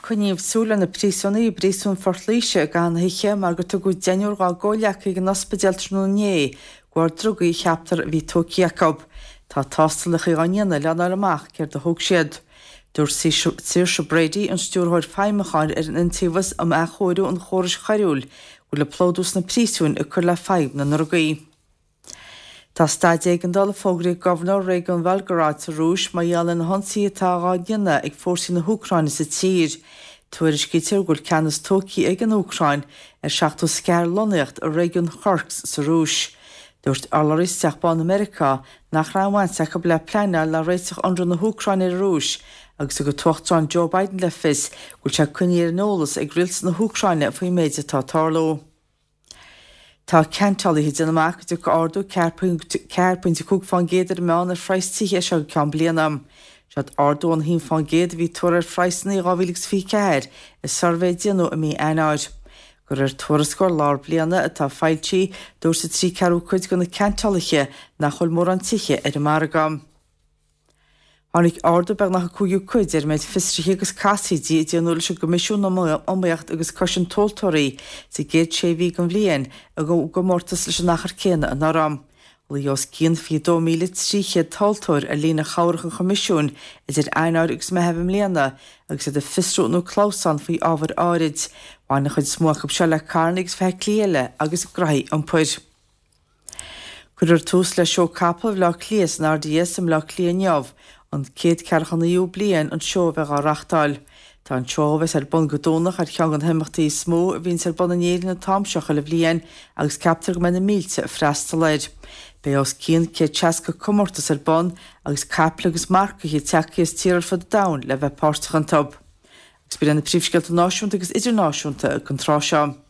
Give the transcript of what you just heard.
Coinníodh súil ar na príosúnaigh i bPríosún Phort Laoise i gcaitheamh na hoíche mar gur tugadh deichniúr dá gcomhghleacaithe chuig an ospidéal tráthnóna inné de bharr drugaí a cheaptar a bhí tógtha acu. Tá tástalacha á ndéanamh lena fháil amach céard a thóg siad. Dúirt Saoirse Brady, an Stiúrthóir Feidhmiúcháin ar an Iontaobhas um Athchóiriú an Chórais Choiriúil, go bhfuil an plódú sna príosúin ag cur le fadhb na ndrugaí. Tá staid éigeandála fógraithe ag Gobharnóir Réigiún Bhelgorod sa Rúis mar gheall ar na hionsaithe atá á ndéanamh ag fórsaí na hÚcráine sa tír. Tuairiscítear go bhfuil ceannas tógtha ag an Úcráin ar 74 lonnaíocht i réigiún Kursk sa Rúis. Dúirt urlabhraí as Teach Bán Meiriceá nach raibh aon bhaint acu le pleanáil ná réiteach ionradh na hÚcráine ar an Rúis agus thug an tUachtarán Joe Biden le fios go bhfuil sé coinnithe ar an eolas ag rialtas na hÚcráine faoin méid atá ag tarlú. Tá ceantálaithe ag déanamh amach go dtiocfaidh ardú 4.5% ar an meán ar phraghas tithe as seo go ceann bliana. Seod ardú ón 1% a bhí tuartha ar phraghsanna i 2024 i suirbhé a déanadh i mí Eanáir. De réir tuarascáil lár bliana atá foilsithe, dúirt an 3 ceathrú cuid de na ceantálaithe nach bhfuil mórán tithe ar an margadh. Tháinig ardú beagnach an cúigiú cuid ar an méid fiosruithe agus casaoidí a déanadh leis an gCoimisiún um Iomaíocht agus Cosaint Tomhaltóirí sa gcéad sé mhí den bhliain i gcomórtas leis an achar céanna anuraidh. Ghlaoigh os cionn 22,300 tomhaltóir ar líne chabhrach an Choimisiúin idir Eanáir agus Meitheamh i mbliana agus iad ag fiosrú nó ag clamhsán faoi ábhair áirid. Bhain an chuid is mó acu seo le carranna agus feithiclí eile agus graithí iompair. Cuirfear tús le Seó Capall Bhaile Átha Cliath san RDS i mBaile Átha Cliath inniu, an céad ceathracha naoú bliain an seó a bheith á reachtáil. Tá an seó, a bheas ar bun go Domhnach, ar cheann de na himeachtaí is mó a bhíonns ar bun in Éirinn an t-am seo chuile bhliain agus ceaptar go mbeidh na mílte ag freastal air. Beidh os cionn 160 comórtas ar bun agus caiple agus marcaithe tagtha as tíortha ar fud an domhain le bheith páirteach iontu. Agus b'in iad na príomhscéalta náisiúnta agus idirnáisiúnta don tráth seo.